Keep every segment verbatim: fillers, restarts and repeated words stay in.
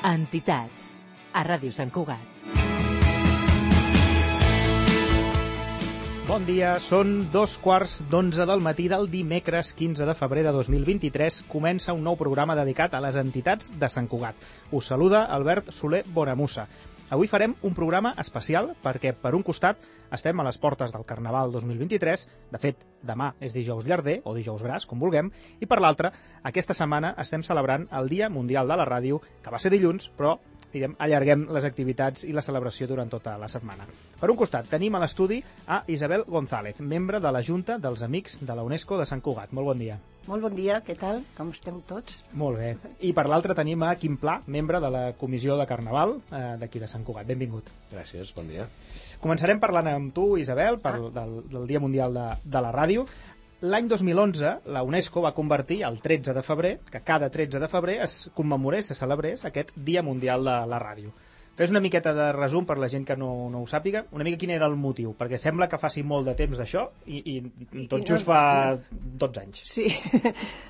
Entitats, a Ràdio Sant Cugat. Bon dia, són dos quarts d'onze del matí del dimecres quinze de febrer de dos mil vint-i-tres. Comença un nou programa dedicat a les entitats de Sant Cugat. Us saluda Albert Soler Bonamussa. Avui farem un programa especial perquè, per un costat, estem a les portes del Carnaval dos mil vint-i-tres. De fet, demà és dijous llarder, o dijous gras, com vulguem, i per l'altra, aquesta setmana estem celebrant el Dia Mundial de la Ràdio, que va ser dilluns, però direm, allarguem les activitats i la celebració durant tota la setmana. Per un costat, tenim a l'estudi a Isabel González, membre de la Junta dels Amics de la UNESCO de Sant Cugat. Molt bon dia. Molt bon dia, què tal? Com esteu tots? Molt bé. I per l'altre tenim a Quim Pla, membre de la Comissió de Carnaval eh, d'aquí de Sant Cugat. Benvingut. Gràcies, bon dia. Començarem parlant amb tu, Isabel, per, ah. del, del Dia Mundial de, de la Ràdio. L'any dos mil onze, la UNESCO va convertir el tretze de febrer, que cada tretze de febrer es commemorés, se celebrés aquest Dia Mundial de la Ràdio. Fes una miqueta de resum per la gent que no, no ho sàpiga, una mica quin era el motiu, perquè sembla que faci molt de temps d'això i, i tot just fa dotze anys. Sí,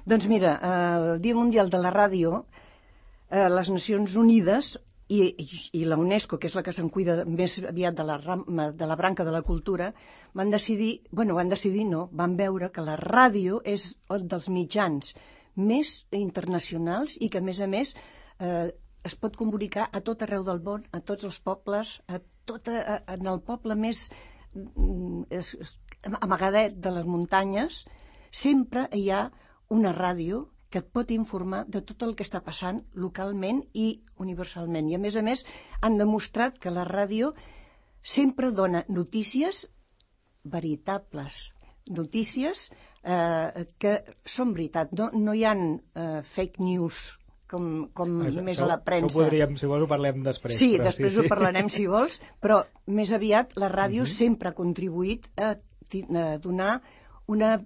doncs mira, el Dia Mundial de la Ràdio, eh, les Nacions Unides i, i la UNESCO, que és la que se'n cuida més aviat de la, de la branca de la cultura, van decidir, bueno, van decidir no, van veure que la ràdio és un dels mitjans més internacionals i que, a més a més, eh, es pot comunicar a tot arreu del món, a tots els pobles, a tot, a, en el poble més es, es, amagadet de les muntanyes, sempre hi ha una ràdio que et pot informar de tot el que està passant localment i universalment. I, a més a més, han demostrat que la ràdio sempre dona notícies veritables, notícies eh, que són veritat. No, no hi ha eh, fake news, com, com això, més això, a la premsa. Això podríem, si vols, ho parlem després. Sí, però després sí, ho parlarem, si vols, però més aviat la ràdio uh -huh. sempre ha contribuït a, a donar una,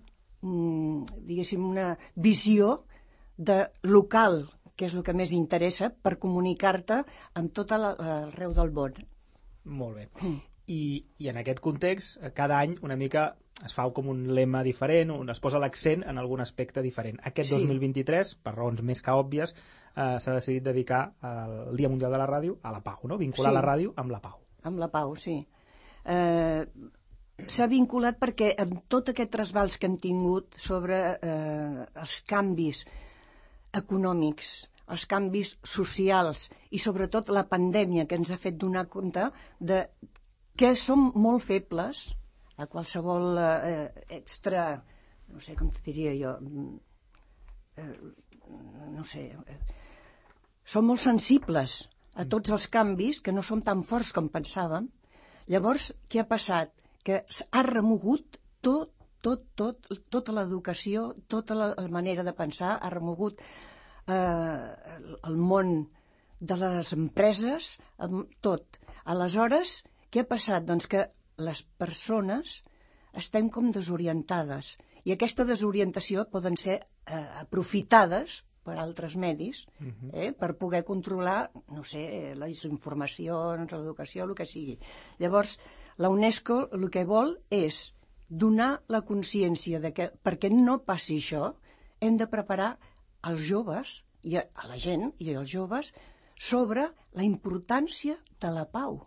diguéssim, una visió de local, que és el que més interessa, per comunicar-te amb tot arreu del món. Molt bé. Mm. I, I en aquest context, cada any una mica es fa com un lema diferent, on es posa l'accent en algun aspecte diferent. Aquest sí. dos mil vint-i-tres, per raons més que òbvies, eh, s'ha decidit dedicar al Dia Mundial de la Ràdio a la pau, no? Vincular sí. la ràdio amb la pau. Amb la pau, sí. Eh, s'ha vinculat perquè amb tot aquest trasbals que hem tingut sobre eh, els canvis econòmics, els canvis socials i sobretot la pandèmia que ens ha fet donar compte de que som molt febles a qualsevol eh, extra, no sé com te diria jo, eh, no sé, eh, som molt sensibles a tots els canvis, que no som tan forts com pensàvem. Llavors, què ha passat? Que ha remogut tot, tot, tot, tota l'educació, tota la manera de pensar, ha remogut eh, el món de les empreses, tot. Aleshores, què ha passat? Doncs que les persones estem com desorientades i aquesta desorientació poden ser eh, aprofitades per altres medis eh, per poder controlar, no sé, les informacions, l'educació, el que sigui. Llavors, la UNESCO el que vol és donar la consciència de que perquè no passi això hem de preparar els joves i a la gent i als joves sobre la importància de la pau.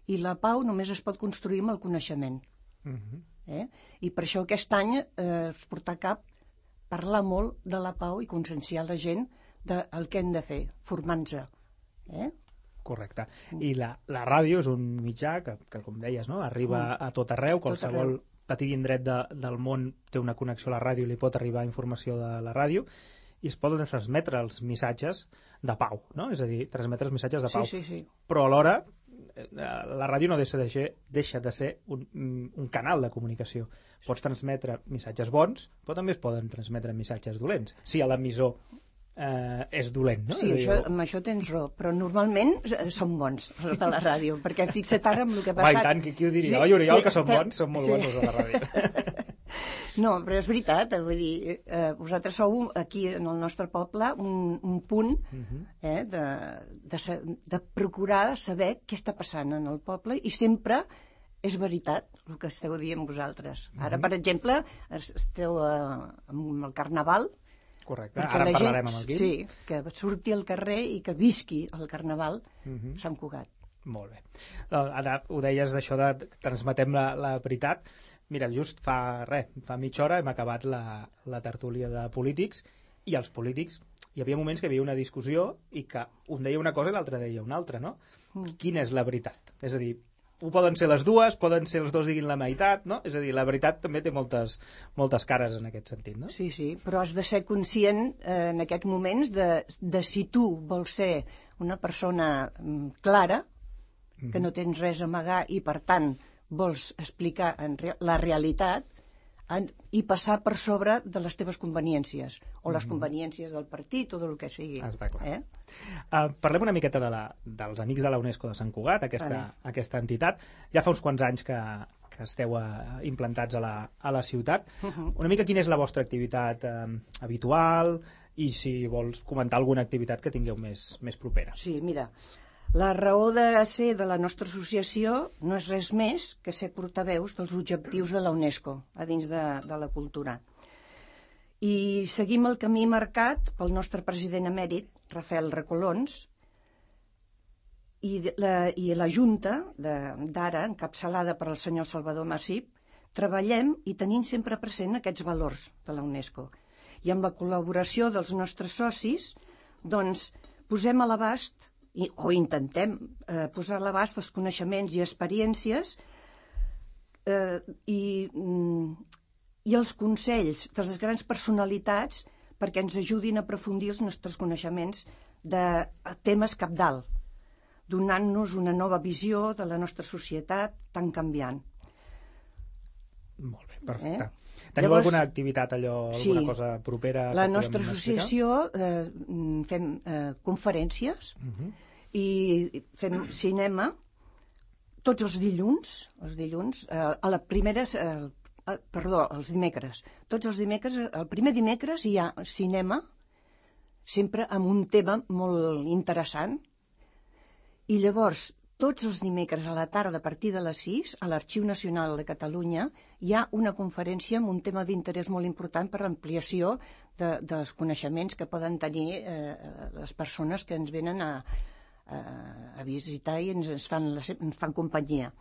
I la pau només es pot construir amb el coneixement. Uh-huh. eh? I per això aquest any eh, es porta a cap parlar molt de la pau i conscienciar la gent del que hem de fer, formant-se. Eh? Correcte. I la, la ràdio és un mitjà que, que com deies, no? Arriba uh. a tot arreu, qualsevol tot petit indret de, del món té una connexió a la ràdio i li pot arribar informació de la ràdio i es poden transmetre els missatges de pau, no? És a dir, transmetre els missatges de pau. Sí, sí, sí. Però alhora la ràdio no deixa de ser, deixa de ser un, un canal de comunicació. Pots transmetre missatges bons, però també es poden transmetre missatges dolents. Si l'emissor eh, és dolent, no? Sí, això, amb això tens raó, però normalment són bons els de la ràdio, perquè fixa't ara amb el que ha passat. Va, i tant, qui, qui ho diria? Sí, oi, Oriol, sí, que són estem... bons? Són molt sí. bons els de la ràdio. No, però és veritat, vull dir, eh, vosaltres sou aquí en el nostre poble un, un punt eh, de, de, de procurar saber què està passant en el poble i sempre és veritat el que esteu dient vosaltres. Ara, per exemple, esteu eh, amb el Carnaval Correcte, Perquè ara en la gent, parlarem amb el Guim. Sí, que surti al carrer i que visqui el Carnaval Mhm. Sant Cugat. Molt bé. Doncs ara ho deies d'això de transmetem la, la veritat. Mira, just fa res, fa mitja hora hem acabat la, la tertúlia de polítics i els polítics, hi havia moments que hi havia una discussió i que un deia una cosa i l'altre deia una altra, no? Mm. Quina és la veritat? És a dir, ho poden ser les dues, poden ser els dos diguin la meitat, no? És a dir, la veritat també té moltes, moltes cares en aquest sentit, no? Sí, sí, però has de ser conscient eh, en aquests moments de, de si tu vols ser una persona mm, clara, que no tens res a amagar i, per tant, vols explicar en re la realitat en, i passar per sobre de les teves conveniències o les conveniències del partit o del que sigui. Està clar. Eh? Uh, parlem una miqueta de la, dels Amics de la UNESCO de Sant Cugat, aquesta, Vale. aquesta entitat. Ja fa uns quants anys que, que esteu uh, implantats a la, a la ciutat. Uh-huh. Una mica quina és la vostra activitat uh, habitual i si vols comentar alguna activitat que tingueu més, més propera. Sí, mira, la raó de ser de la nostra associació no és res més que ser portaveus dels objectius de la UNESCO a dins de, de la cultura. I seguim el camí marcat pel nostre president emèrit, Rafael Recolons, i la, i la Junta d'ara, encapçalada per el senyor Salvador Massip, treballem i tenim sempre present aquests valors de la UNESCO. I amb la col·laboració dels nostres socis, doncs, posem a l'abast I, o intentem eh, posar a l'abast els coneixements i experiències eh, i, mm, i els consells de les grans personalitats perquè ens ajudin a aprofundir els nostres coneixements de temes cabdal, donant-nos una nova visió de la nostra societat tan canviant. Molt bé, perfecte. Eh? Teniu Llavors, alguna activitat, allò, alguna sí, cosa propera? La que nostra podem explicar? associació eh, fem eh, conferències Mhm. i fem cinema tots els dilluns, els dilluns, eh, a la primera, eh, eh, perdó, els dimecres. Tots els dimecres, el primer dimecres hi ha cinema, sempre amb un tema molt interessant, i llavors tots els dimecres a la tarda a partir de les sis, a l'Arxiu Nacional de Catalunya, hi ha una conferència amb un tema d'interès molt important per l'ampliació de, dels coneixements que poden tenir eh, les persones que ens venen a, a, a visitar i ens, ens, fan, la, ens fan companyia.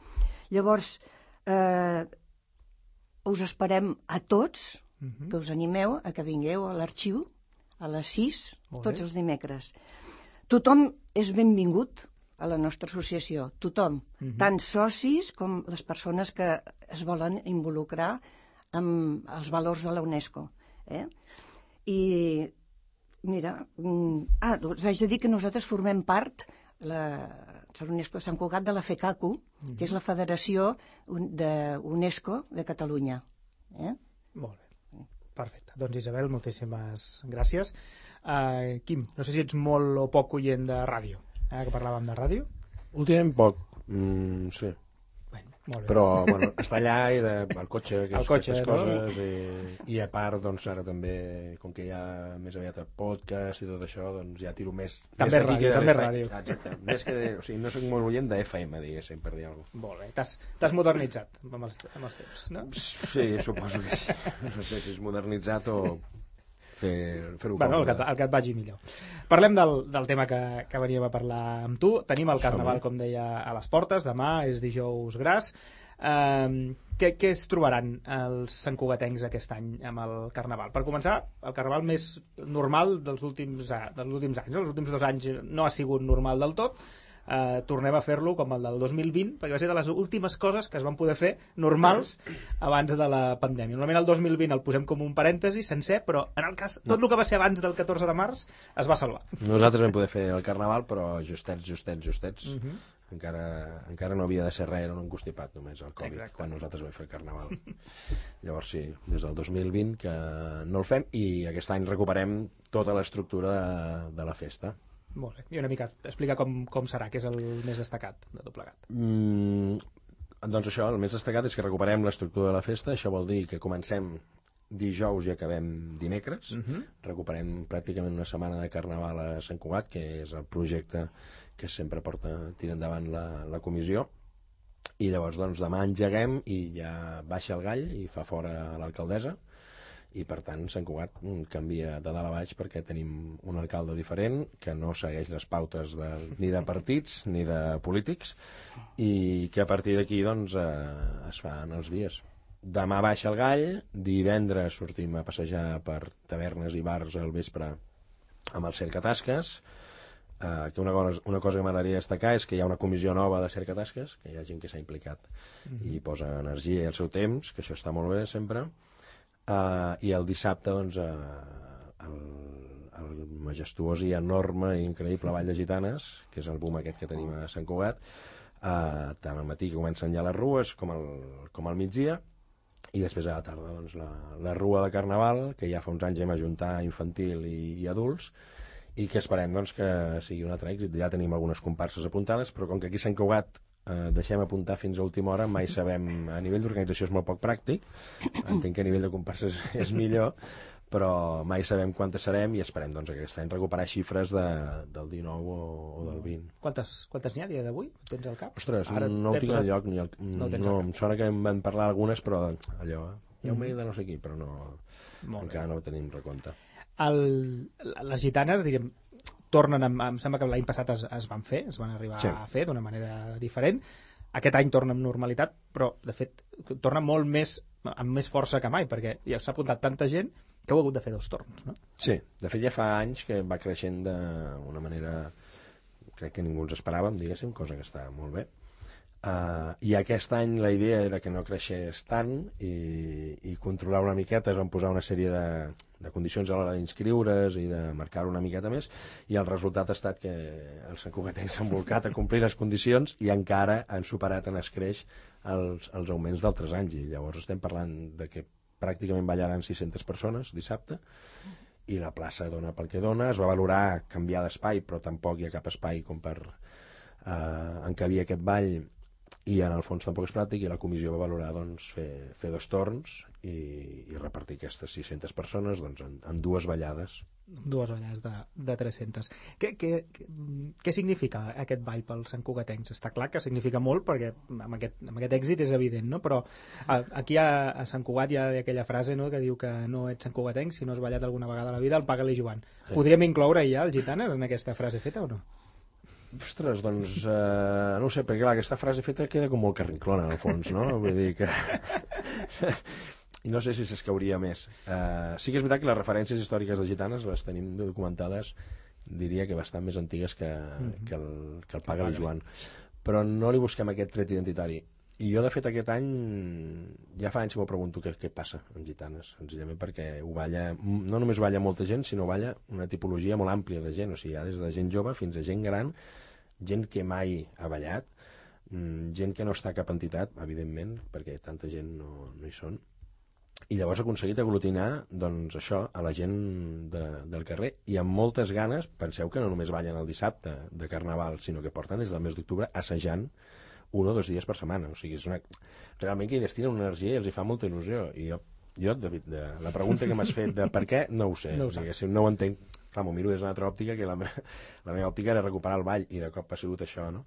Llavors, eh, us esperem a tots, Mhm. que us animeu a que vingueu a l'arxiu a les sis, Molt tots bé. els dimecres. Tothom és benvingut a la nostra associació, tothom, Mhm. tant socis com les persones que es volen involucrar amb els valors de la UNESCO. Eh? I, mira, mm, ah, us haig de dir que nosaltres formem part, la, la UNESCO de Sant Cugat, de la FECACU, que és la Federació de UNESCO de Catalunya. Eh? Molt bé. Perfecte. Doncs Isabel, moltíssimes gràcies. Uh, Quim, no sé si ets molt o poc oient de ràdio, ara que parlàvem de ràdio. Últimament poc, mm, sí. Bueno, molt bé. Però, bueno, està allà i de, el cotxe, que El és, cotxe, aquestes no? coses, i, i a part, doncs, ara també, com que hi ha més aviat el podcast i tot això, doncs ja tiro més... També més d'aquí ràdio, que de també l'F M. ràdio. Exacte. Més que de, o sigui, no soc molt oient de F M, diguéssim, per dir alguna cosa. Molt bé. T'has t'has modernitzat amb els, amb els temps, no? Sí, suposo que sí. No sé si és modernitzat o fer, fer-ho Bueno, el que, còmode. el que et vagi millor. Parlem del, del tema que, que veníem a parlar amb tu. Tenim el Carnaval, Som-hi. com deia, a les portes. Demà és dijous gras. Um, què, què es trobaran els santcugatencs aquest any amb el Carnaval? Per començar, el Carnaval més normal dels últims, a- dels últims anys. Els últims dos anys no ha sigut normal del tot. Uh, tornem a fer-lo com el del dos mil vint, perquè va ser de les últimes coses que es van poder fer normals abans de la pandèmia. Normalment el dos mil vint el posem com un parèntesi sencer, però en el cas, tot el que va ser abans del catorze de març es va salvar. Nosaltres vam poder fer el Carnaval, però justets, justets, justets. Mhm. encara, encara no havia de ser res, era un encostipat només el Covid, Exacte. quan nosaltres vam fer el Carnaval. Llavors sí, des del dos mil vint que no el fem, i aquest any recuperem tota l'estructura de, de la festa. Molt bé. I una mica explica com, com serà, que és el més destacat de tot plegat. Mm, doncs això, el més destacat és que recuperem l'estructura de la festa. Això vol dir que comencem dijous i acabem dimecres. Mhm. Recuperem pràcticament una setmana de Carnaval a Sant Cugat, que és el projecte que sempre porta tira endavant la, la comissió. I llavors doncs demà engeguem i ja baixa el gall i fa fora l'alcaldessa, i per tant Sant Cugat canvia de dalt a baix perquè tenim un alcalde diferent que no segueix les pautes de, ni de partits ni de polítics i que a partir d'aquí doncs, eh, es fan els dies. Demà baixa el gall, divendres sortim a passejar per tavernes i bars al vespre amb el Cercatasques, eh, que una cosa, una cosa que m'agradaria destacar és que hi ha una comissió nova de Cercatasques, que hi ha gent que s'ha implicat mm-hmm. i posa energia i el seu temps, que això està molt bé sempre. Uh, i el dissabte doncs, uh, el, el majestuós i enorme i increïble Ball de Gitanes, que és el boom aquest que tenim a Sant Cugat, uh, tant al matí que comencen ja les rues com al, com al migdia, i després a la tarda doncs, la, la rua de Carnaval, que ja fa uns anys hem ajuntat infantil i, i adults, i que esperem doncs, que sigui un altre èxit. Ja tenim algunes comparses apuntades, però com que aquí a Sant Cugat Uh, deixem apuntar fins a última hora, mai sabem, a nivell d'organització és molt poc pràctic, entenc que a nivell de comparses és millor, però mai sabem quantes serem i esperem doncs, aquest any recuperar xifres de, del dinou o, o del vint. Quantes, quantes n'hi ha a dia d'avui? Tens al cap? Ostres, Ara no ho tinc al lloc, ni el, no, no em sona que em van parlar algunes, però allò, hi ha un mail de no sé qui, però no, encara no ho tenim recompte. El, les gitanes, diríem, tornen, amb, em sembla que l'any passat es, es van fer, es van arribar sí. a fer d'una manera diferent. Aquest any torna amb normalitat, però, de fet, torna molt més, amb més força que mai, perquè ja s'ha apuntat tanta gent que heu hagut de fer dos torns, no? Sí, de fet ja fa anys que va creixent d'una manera, crec que ningú ens esperàvem, diguéssim, cosa que està molt bé. Uh, I aquest any la idea era que no creixés tant i, i controlar una miqueta, es van posar una sèrie de, de condicions a l'hora d'inscriure's i de marcar una miqueta més, i el resultat ha estat que els santcugatencs s'han volcat a complir les condicions i encara han superat en escreix els, els augments d'altres anys, i llavors estem parlant de que pràcticament ballaran sis-centes persones dissabte, i la plaça dona pel que dona. Es va valorar canviar d'espai, però tampoc hi ha cap espai com per uh, encabir aquest ball, i en el fons tampoc és pràctic, i la comissió va valorar doncs, fer, fer dos torns i, i repartir aquestes sis-centes persones doncs, en, en dues ballades. Dues ballades de, de tres-centes. Què, què, què significa aquest ball pels santcugatencs? Està clar que significa molt, perquè amb aquest, amb aquest èxit és evident, no? Però a, aquí a, a Sant Cugat hi ha aquella frase, no?, que diu que no ets santcugatenc si no has ballat alguna vegada a la vida, el paga-li Joan. Sí. Podríem incloure ja els gitanes en aquesta frase feta o no? Ostres, doncs, eh, no ho sé, perquè clar, aquesta frase feta queda com molt carrinclona, al fons, no? Vull dir que... I no sé si s'escauria més. Eh, sí que és veritat que les referències històriques de gitanes les tenim documentades, diria que bastant més antigues que, mm-hmm. que, el, que el Paga-li Joan. Però no li busquem aquest tret identitari. I jo, de fet, aquest any ja fa anys que m'ho pregunto què, què passa amb gitanes, senzillament perquè ho balla, no només ho balla molta gent, sinó balla una tipologia molt àmplia de gent, o sigui, hi ha des de gent jove fins a gent gran, gent que mai ha ballat, gent que no està a cap entitat, evidentment, perquè tanta gent no, no hi són, i llavors ha aconseguit aglutinar doncs, això a la gent de, del carrer, i amb moltes ganes. Penseu que no només ballen el dissabte de Carnaval, sinó que porten des del mes d'octubre assajant un o dos dies per setmana, o sigui, és una... realment que hi destinen una energia i els hi fa molta il·lusió, i jo, jo David, de, la pregunta que m'has fet de per què, no ho sé, no ho, o sigui, no ho entenc. Clar, m'ho miro des d'una altra òptica, que la, me... la meva òptica era recuperar el ball, i de cop ha sigut això, no?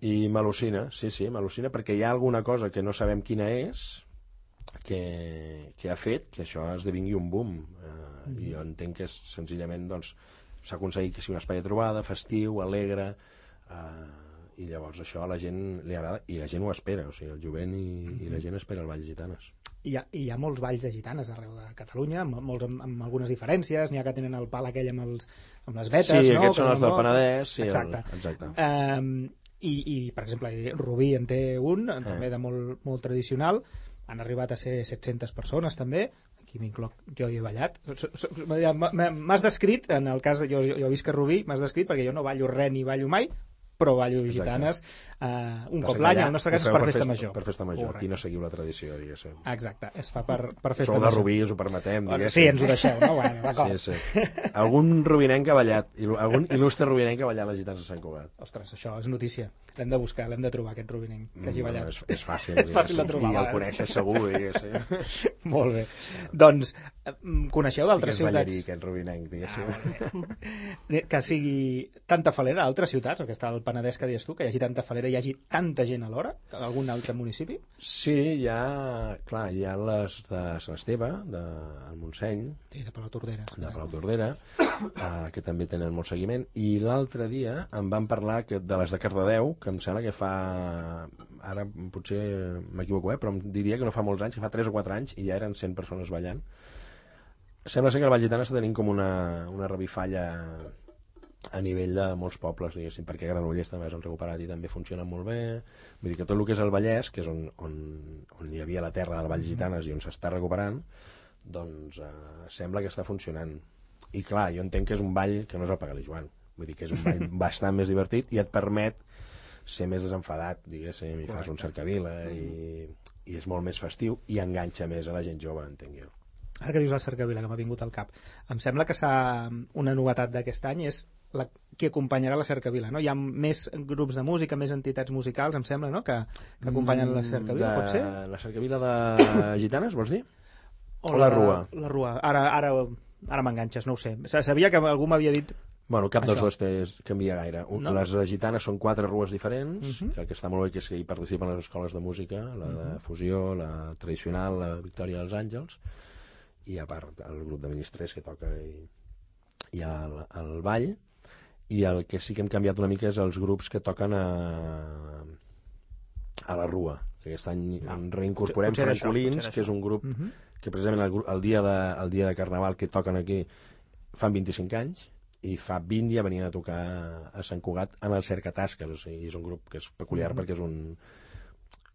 I m'al·lucina, sí, sí, m'al·lucina, perquè hi ha alguna cosa que no sabem quina és, que, que ha fet que això esdevingui un boom, eh, mm. i jo entenc que és, senzillament doncs, s'ha aconseguit que sigui un espai de trobada, festiu, alegre, eh, i llavors això a la gent li agrada, i la gent ho espera, o sigui, el jovent i, mm. i la gent espera el ball de gitanes. Hi ha, hi ha molts balls de gitanes arreu de Catalunya, amb, molts, amb, amb algunes diferències, n'hi ha que tenen el pal aquell amb, els, amb les vetes, sí, no? Aquests són els del Penedès, sí, exacte. El, exacte. Um, i, I, per exemple, Rubí en té un, eh. també de molt, molt tradicional, han arribat a ser set-centes persones també, aquí m'incloc, jo hi he ballat. M'has descrit, en el cas, jo, jo he vist que Rubí, m'has descrit perquè jo no ballo res ni ballo mai, però ballo gitanes uh, un cop l'any, en el nostre cas és per, per festa major. Per festa major, aquí no seguiu la tradició, diguéssim. Exacte, es fa per, per festa Sou major. Sou de Rubí, us ho permetem, diguéssim. Sí, ens ho deixeu, no? Bueno, d'acord. Sí, sí. Algun rubinenc ha ballat, algun il·lustre rubinenc ha ballat les gitanes de Sant Cugat. Ostres, això és notícia. L'hem de buscar, l'hem de trobar, aquest rubinenc que hagi ballat. No, és, és fàcil. És fàcil de trobar. I el coneixes segur, diguéssim. Molt bé. Doncs, coneixeu d'altres sí que és ciutats? Ballarí, aquest rubinenc, diguéssim. Ah, que sigui tanta falera a altres ciutats, que està el Penedès que deies tu, que hi hagi tanta falera, hi hagi tanta gent alhora, que algun altre municipi? Sí, hi ha, clar, hi ha les de Sant Esteve, del Montseny, Sí, de Palautordera. de Palautordera, eh, que també tenen molt seguiment, i l'altre dia em van parlar que de les de Cardedeu, que em sembla que fa, ara potser m'equivoco, eh, però em diria que no fa molts anys, que fa tres o quatre anys, i ja eren cent persones ballant. Sembla ser que el Vall Gitana està tenint com una, una revifalla a nivell de molts pobles, diguéssim, perquè Granollers també s'han recuperat i també funciona molt bé. Vull dir que tot el que és el Vallès, que és on, on, on hi havia la terra del Vall Gitanes i on s'està recuperant, doncs eh, sembla que està funcionant. I clar, jo entenc que és un ball que no és el Pagalí Joan. Vull dir que és un ball bastant més divertit i et permet ser més desenfadat, diguéssim, i fas un cercavila i, i és molt més festiu i enganxa més a la gent jove, entenc jo. Ara que dius el cercavila, que m'ha vingut al cap, em sembla que s'ha... una novetat d'aquest any és la, qui acompanyarà la cercavila, no? Hi ha més grups de música, més entitats musicals, em sembla, no?, que, que acompanyen la cercavila, de... pot ser? La cercavila de Gitanes, vols dir? O, o la, la Rua? La Rua. Ara, ara, ara m'enganxes, no ho sé. Sabia que algú m'havia dit... Bueno, cap Això. dels dos té, canvia gaire. Un, no? Les de Gitanes són quatre rues diferents, uh -huh. que el que està molt bé que és que hi participen les escoles de música, la de uh -huh. fusió, la tradicional, la Victòria dels Àngels, i a part el grup de ministrers que toca i, i el, el ball, i el que sí que hem canviat una mica és els grups que toquen a, a la Rua, que aquest any no. en reincorporem Francolins, que és un grup uh -huh. que precisament el, el, dia de, el dia de Carnaval que toquen aquí fan vint-i-cinc anys, i fa vint ja venien a tocar a Sant Cugat en el Cercatasques, o sigui, és un grup que és peculiar uh -huh. perquè és un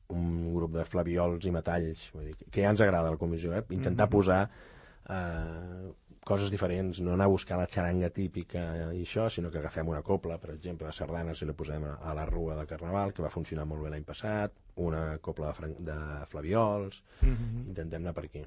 un grup de flaviols i metalls, vull dir, que ja ens agrada a la comissió, eh? Intentar mm -hmm. posar eh, coses diferents, no anar a buscar la xaranga típica i això, sinó que agafem una copla, per exemple, la sardana, si la posem a, a la Rua de Carnaval, que va funcionar molt bé l'any passat, una copla de, de flaviols, mm -hmm. intentem anar per aquí.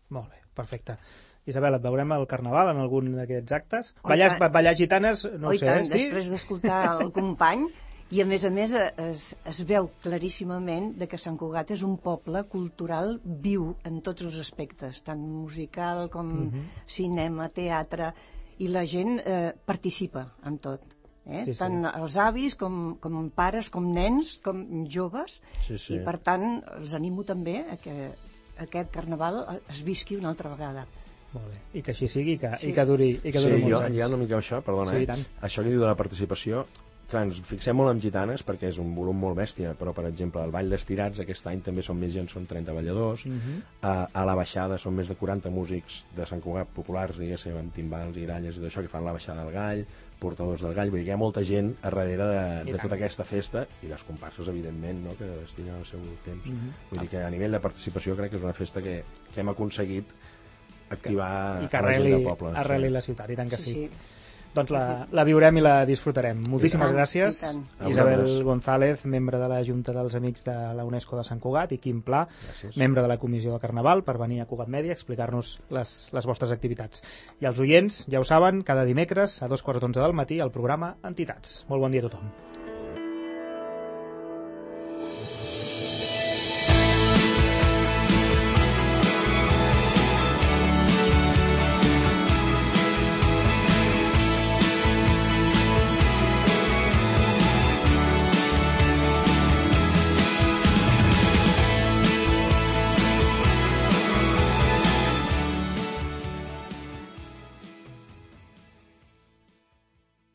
Molt bé, perfecte. Isabel, et veurem al Carnaval en algun d'aquests actes? Ballar, ballar gitanes, no ho sé, tant, sí? Després d'escoltar el company, i a més a més es, es veu claríssimament de que Sant Cugat és un poble cultural viu en tots els aspectes, tant musical com uh-huh. cinema, teatre, i la gent eh, participa en tot. Eh? Sí, sí. Tant els avis com, com pares, com nens, com joves, sí, sí. i per tant els animo també a que aquest Carnaval es visqui una altra vegada. Molt bé, i que així sigui, que, sí. i que duri, i que duri sí, molts jo, anys. hi ha una mica això, perdona, sí, eh? Això que diu de la participació, clar, ens fixem molt en gitanes perquè és un volum molt bèstia, però per exemple el Ball d'Estirats aquest any també són més gent, són trenta balladors, uh-huh. a, a la baixada són més de quaranta músics de Sant Cugat populars, diguéssim, amb timbals i gralles i d'això, que fan la baixada del gall, portadors del gall, vull dir que hi ha molta gent a darrere de, de tota aquesta festa, i les comparses, evidentment, no?, que destinen el seu temps. Uh-huh. Vull dir que a nivell de participació crec que és una festa que, que hem aconseguit activar i que a la gent del poble. arreli sí. la ciutat, i tant que sí. sí. Doncs la, la viurem i la disfrutarem. Moltíssimes gràcies, Isabel González, membre de la Junta dels Amics de la UNESCO de Sant Cugat, i Quim Pla, gràcies. Membre de la Comissió de Carnaval, per venir a Cugat Mèdia a explicar-nos les, les vostres activitats. I els oients, ja ho saben, cada dimecres a dos quarts d'onze del matí el programa Entitats. Molt bon dia a tothom.